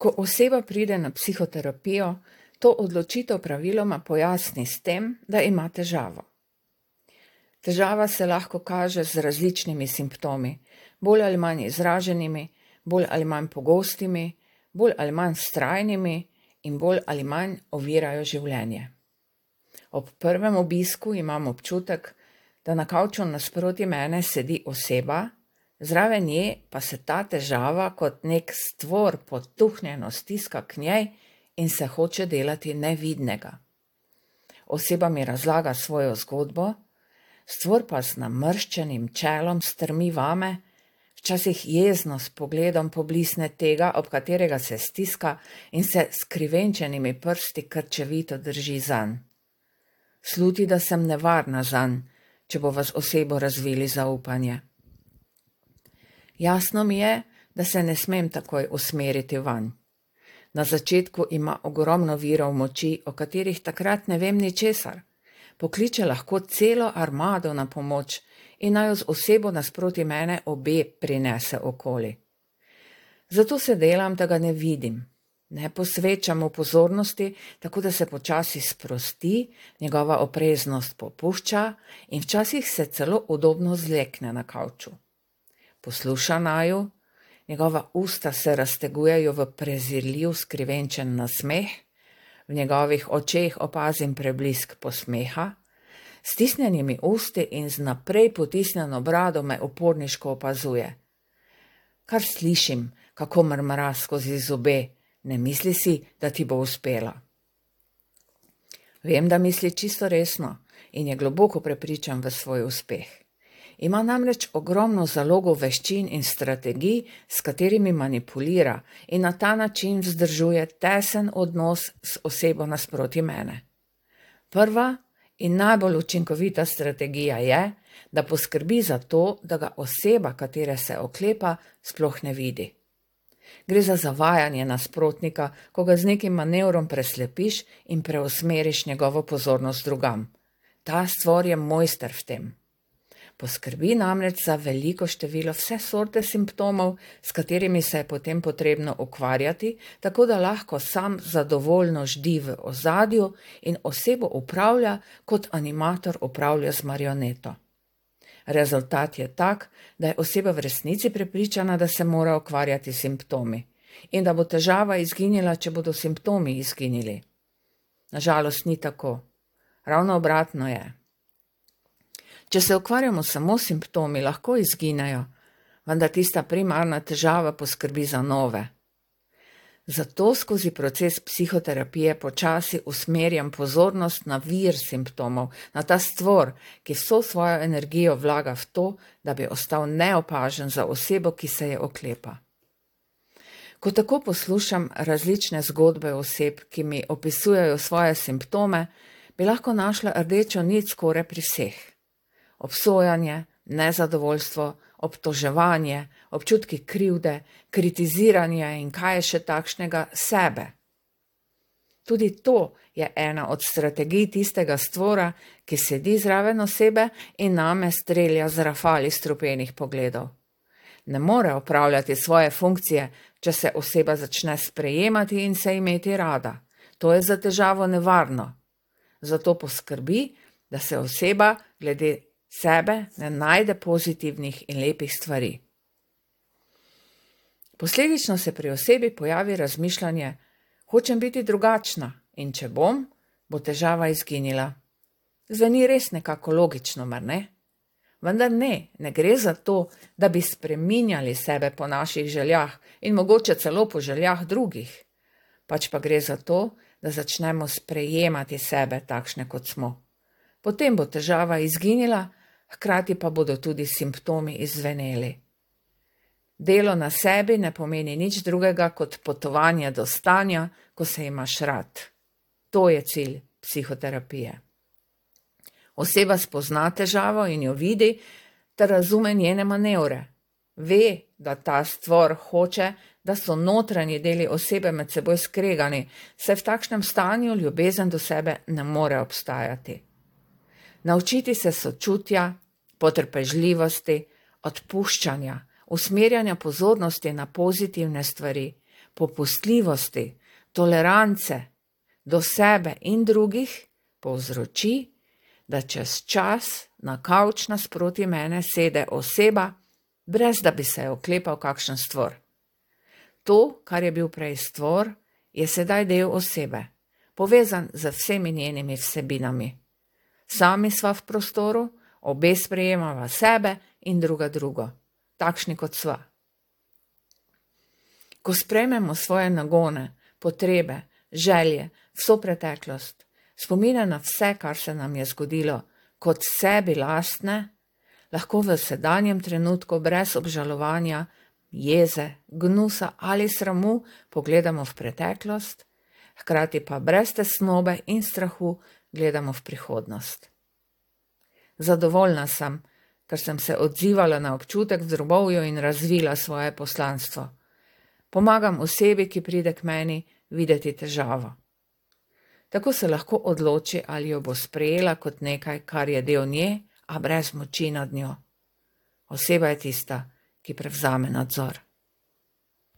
Ko oseba pride na psihoterapijo, to odločitev praviloma pojasni s tem, da ima težavo. Težava se lahko kaže z različnimi simptomi, bolj ali manj izraženimi, bolj ali manj pogostimi, bolj ali manj vztrajnimi in bolj ali manj ovirajo življenje. Ob prvem obisku imam občutek, da na kavču nasproti mene sedi oseba, zraven nje pa se ta težava kot nek stvor potuhnjeno stiska k njej in se hoče delati nevidnega. Oseba mi razlaga svojo zgodbo, stvor pa z namrščenim čelom strmi vame, včasih jezno s pogledom poblisne tega, ob katerega se stiska in se s krivenčenimi prsti krčevito drži zanj. Sluti, da sem nevarna zanj, če bo vas osebo razvili zaupanje. Jasno mi je, da se ne smem takoj usmeriti vanj. Na začetku ima ogromno virov moči, o katerih takrat ne vem ničesar. Pokliče lahko celo armado na pomoč in naj jo z osebo nasproti mene obe prinese okoli. Zato se delam, da ga ne vidim. Ne posvečam mu pozornosti, tako da se počasi sprosti, njegova opreznost popušča in včasih se celo udobno zlekne na kavču. Posluša naju, njegova usta se raztegujejo v prezirljiv skrivenčen nasmeh, v njegovih očeh opazim preblisk posmeha, s stisnjenimi usti in z naprej potisnjeno brado me uporniško opazuje. Kar slišim, kako mrmra skozi zobe, ne misli si, da ti bo uspela. Vem, da misli čisto resno in je globoko prepričan v svoj uspeh. Ima namreč ogromno zalogo veščin in strategij, s katerimi manipulira in na ta način vzdržuje tesen odnos s osebo nasproti mene. Prva in najbolj učinkovita strategija je, da poskrbi za to, da ga oseba, katere se oklepa, sploh ne vidi. Gre za zavajanje nasprotnika, ko ga z nekim manevrom preslepiš in preusmeriš njegovo pozornost drugam. Ta stvor je mojster v tem. Poskrbi namreč za veliko število vse sorte simptomov, s katerimi se je potem potrebno ukvarjati, tako da lahko sam zadovoljno ždi v ozadju in osebo upravlja, kot animator upravlja z marioneto. Rezultat je tak, da je oseba v resnici prepričana, da se mora ukvarjati s simptomi in da bo težava izginila, če bodo simptomi izginili. Nažalost ni tako. Ravno obratno je. Če se ukvarjamo samo s simptomi, lahko izginejo, vendar tista primarna težava poskrbi za nove. Zato skozi proces psihoterapije počasi usmerjam pozornost na vir simptomov, na ta stvor, ki vso svojo energijo vlaga v to, da bi ostal neopažen za osebo, ki se je oklepa. Ko tako poslušam različne zgodbe oseb, ki mi opisujejo svoje simptome, bi lahko našla rdečo nit skoraj pri vseh. Obsojanje, nezadovoljstvo, obtoževanje, občutki krivde, kritiziranje in kaj je še takšnega sebe. Tudi to je ena od strategij tistega stvora, ki sedi zraven osebe in name strelja z rafali strupenih pogledov. Ne more opravljati svoje funkcije, če se oseba začne sprejemati in se imeti rada. To je za težavo nevarno. Zato poskrbi, da se oseba glede sebe ne najde pozitivnih in lepih stvari. Posledično se pri osebi pojavi razmišljanje, hočem biti drugačna in če bom, bo težava izginila. Zveni res nekako logično, mar ne? Vendar ne gre za to, da bi spreminjali sebe po naših željah in mogoče celo po željah drugih. Pač pa gre za to, da začnemo sprejemati sebe takšne, kot smo. Potem bo težava izginila, hkrati pa bodo tudi simptomi izzveneli. Delo na sebi ne pomeni nič drugega kot potovanje do stanja, ko se imaš rad. To je cilj psihoterapije. Oseba spozna težavo in jo vidi, ter razume njene manevre. Ve, da ta stvor hoče, da so notranji deli osebe med seboj skregani, saj v takšnem stanju ljubezen do sebe ne more obstajati. Naučiti se sočutja, potrpežljivosti, odpuščanja, usmerjanja pozornosti na pozitivne stvari, popustljivosti, tolerance do sebe in drugih povzroči, da čez čas na kavč nasproti mene sede oseba, brez da bi se oklepal kakšen stvor. To, kar je bil prej stvor, je sedaj del osebe, povezan z vsemi njenimi vsebinami. Sami sva v prostoru, obe sprejemava sebe in druga drugo, takšni kot sva. Ko sprejmemo svoje nagone, potrebe, želje, vso preteklost, spomine na vse, kar se nam je zgodilo, kot sebi lastne, lahko v sedanjem trenutku brez obžalovanja, jeze, gnusa ali sramu pogledamo v preteklost, hkrati pa brez tesnobe in strahu gledamo v prihodnost. Zadovoljna sem, ker sem se odzivala na občutek v drobovju in razvila svoje poslanstvo. Pomagam osebi, ki pride k meni, videti težavo. Tako se lahko odloči, ali jo bo sprejela kot nekaj, kar je del nje, a brez moči nad njo. Oseba je tista, ki prevzame nadzor.